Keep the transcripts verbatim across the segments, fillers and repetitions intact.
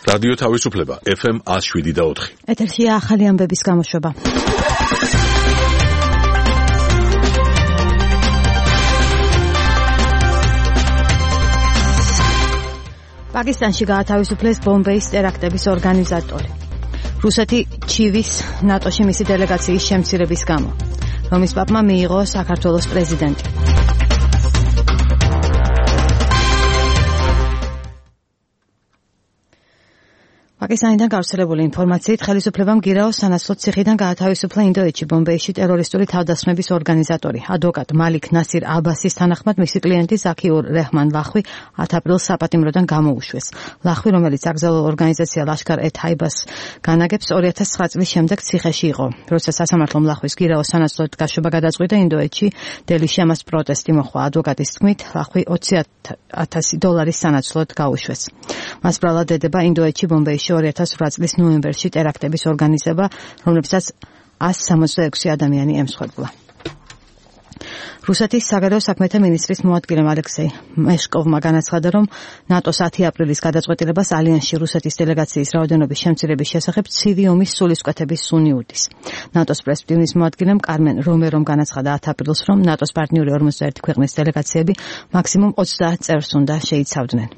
რადიო თავისუფლება ეფ ემ one oh seven point four. ეთერშია ახალი ამბების გამოშვება. პაკისტანში გაათავისუფლეს ბომბეის ტერაქტების ორგანიზატორი. რუსეთი ჩივის ნატოში მისი დელეგაციის შემცირების გამო. რომის პაპმა მიიღო საქართველოს პრეზიდენტი. პაკისტანიდან გავრცელებული ინფორმაციით ხელისუფლებამ გირაოს სანაცვლოდ ციხიდან გაათავისუფლა ინდოეთში ბომბეიში ტერორისტული თავდასხმების ორგანიზატორი ადვოკატ მალიქ ნასირ აბასის თანახმად მისი კლიენტი ზაქიურ რეჰმან ლახვი ათი აპრილს საპატიმროდან გამოუშვეს. ლახვი, რომელიც აკრძალულ ორგანიზაცია ლაშქარ ე თაიბას განაგებს, ორი ათას ცხრა წლის შემდეგ ციხეში იყო. როცა სასამართლომ ლახვის გირაოს სანაცვლოდ გაშვება გადაწყვიტა, ინდოეთში დელიში ამას პროტესტი მოხდა. ადვოკატის თქმით, ლახვი ოცი ათასი დოლარის სანაცვლოდ გაუშვეს. მას ბრალად ედება ინდოეთში ბომბეიში ორი ათას ორი წლის ნოემბერში ტერაქტების ორგანიზება, რომლებსაც one seventy-six ადამიანი ემსხვერპლა. რუსეთის საგარეო საქმეთა მინისტრის მოადგილემ ალექსეი მეშკოვმა განაცხადა, რომ ნატოს ათი აპრილის გადაწყვეტილებას ალიანსში რუსეთის დელეგაციის რაოდენობის შემცირების შესახებ ცივი ომის სულისკვეთების სუნი უდის. ნატოს პრესპტივნის მოადგილემ კარმენ რომერომ განაცხადა ათი აპრილს, რომ ნატოს პარტნიორი ორმოცდაერთი ქვეყნის დელეგაციები მაქსიმუმ ოცდაათ წევრს უნდა შეიცავდნენ.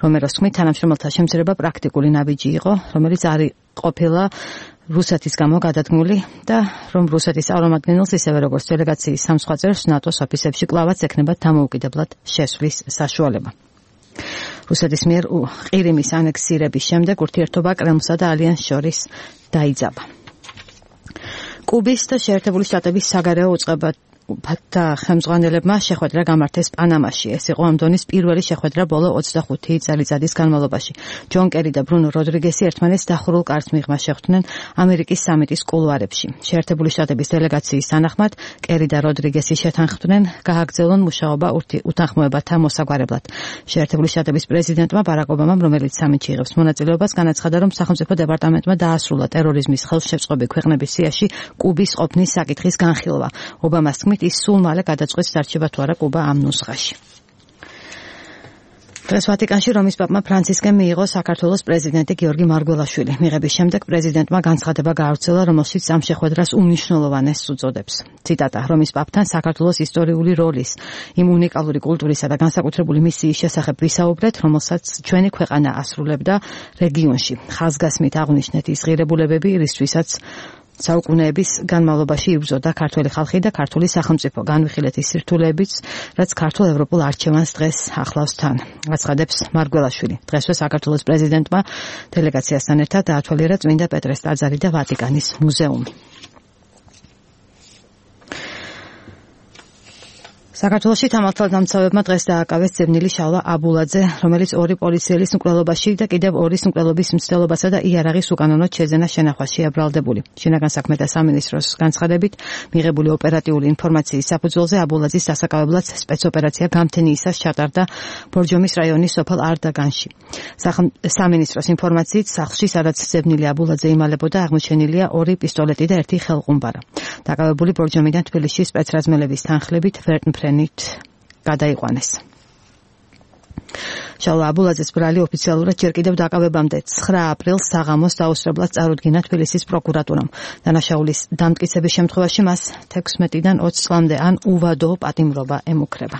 რომეროს თქმით, თანამშრომელთა შემცირება პრაქტიკული ნაბიჯი იყო, რომელიც არ ყოფილა რუსეთის გამო გადადგმული და რომ რუსეთის წარმომადგენელს ისევე როგორც დელეგაციის სამ სხვა წევრს ნატოს ოფისებში კლავაც ექნება დამოუკიდებლად შესვლის საშუალება. რუსეთის მიერ ყირიმის ანექსირების შემდეგ ურთიერთობა კრემლსა და ალიანსს შორის დაიძაბა. კუბის და შეერთებული შტატების საგარეო უწყება და ხელმძღვანელებმა შეხვედრა გამართეს პანამაში. ეს იყო ამ დონის პირველი შეხვედრა ბოლო ოცდახუთი წელიწადის განმავლობაში. ჯონ კერი და ბრუნო როდრიგესი ერთმანეთს დახურულ კარს მიღმა შეხვდნენ ამერიკის სამიტის კულუარებში. შეერთებული შტატების დელეგაციის თანახმად, კერი და როდრიგესი შეთანხმდნენ გააგრძელონ მუშაობა უთანხმოებათა მოსაგვარებლად. შეერთებული შტატების პრეზიდენტმა ბარაკ ობამამ, რომელიც სამიტში იღებს მონაწილეობას, განაცხადა, რომ სახელმწიფო დეპარტამენტმა დაასრულა ტერორიზმის ხელშეწყობი ქვეყნების სიაში კუბის ყოფნის საკითხის განხილვა. ობამას თქმით, ის სულ მალე გადაწყვეტს დარჩება თუ არა კუბა ამ ნუსხაში. დღეს ვატიკანში რომის პაპმა ფრანცისკემ მიიღო საქართველოს პრეზიდენტი გიორგი მარგველაშვილი. მიღების შემდეგ პრეზიდენტმა განცხადება გაავრცელა, რომელშიც ამ შეხვედრას უმნიშვნელოვანესს უწოდებს. ციტატა: რომის პაპთან საქართველოს ისტორიული როლის, იმ უნიკალური კულტურისა და განსაკუთრებული მისიის შესახებ ვისაუბრეთ, რომელსაც ჩვენი ქვეყანა ასრულებდა რეგიონში. ხაზგასმით აღვნიშნეთ ის ღირებულებები, რისთვისაც საუკუნეების განმავლობაში იბრძოდა ქართველი ხალხი და ქართული სახელმწიფო, განვიხილეთ ის სირთულეებიც, რაც ქართულ ევროპულ არჩევანს დღეს ახლავს თან. აცხადებს მარგველაშვილი. დღესვე საქართველოს პრეზიდენტმა დელეგაციასთან ერთად დაათვალიერა წმინდა პეტრეს ტაძარი და ვატიკანის მუზეუმი. საქართველოში თამართლადამცავებმა დღეს დააკავეს ძებნილი შალვა აბულაძე, რომელიც ორი პოლიციელის მკვლელობაში და კიდევ ორის მკვლელობის მცდელობასა და იარაღის უკანონოდ შეძენას შენახვაში აბრალდებული. შინაგან საქმეთა სამინისტროს განცხადებით, მიღებული ოპერატიული ინფორმაციის საფუძველზე აბულაძის დასაკავებლად სპეცოპერაცია გამთენიისას ჩატარდა ბორჯომის რაიონის სოფელ არდაგანში. სამინისტროს ინფორმაციით, სახლში, სადაც ძებნილი აბულაძე იმალებოდა, აღმოჩენილია ორი პისტოლეტი და ერთი ხელყუმბარა. დაკავებული ბორჯომიდან თბილისში სპეცრაზმელების თანხლებით ვერტმფრენით გადაიყვანეს. შალვა აბულაძეს ბრალი ოფიციალურად ჯერ კიდევ დაკავებამდე ცხრა აპრილს საღამოს დაუსწრებლად წარუდგინა თბილისის პროკურატურამ. დანაშაულის დამტკიცების შემთხვევაში მას თექვსმეტიდან ოცი წლამდე ან უვადო პატიმრობა ემუქრება.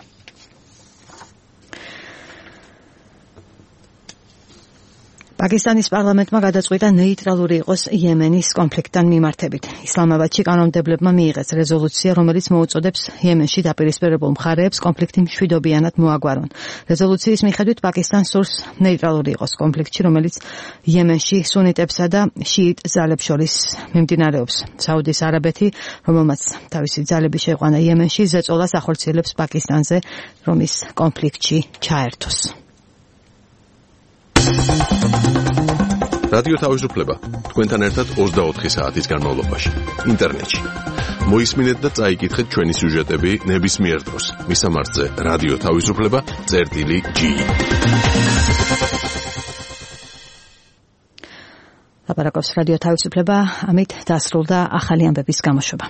პაკისტანის პარლამენტმა გადაწყვიტა ნეიტრალური იყოს იემენის კონფლიქტთან მიმართებით. ისლამაბადში კანონმდებლებმა მიიღეს რეზოლუცია, რომელიც მოუწოდებს იემენში დაპირისპირებულ მხარეებს კონფლიქტი მშვიდობიანად მოაგვარონ. რეზოლუციის მიხედვით პაკისტანს სურს ნეიტრალური იყოს კონფლიქტში, რომელიც იემენში სუნიტებსა და შიიტ ძალებს შორის მიმდინარეობს. საუდის არაბეთი, რომელმაც თავისი ძალები შეიყვანა იემენში, ზეწოლას ახორციელებს პაკისტანზე, რომ ის კონფლიქტში ჩაერთოს. რადიო თავისუფლება თქვენთან ერთად ოცდაოთხი საათის განმავლობაში ინტერნეტში. მოისმინეთ და წაიკითხეთ ჩვენი სიუჟეტები ნებისმიერ დროს. მისამართზე რადიო თავისუფლება წერტილი ჯი. ლაპარაკობს რადიო თავისუფლება, ამით დასრულდა ახალი ამბების გამოშვება.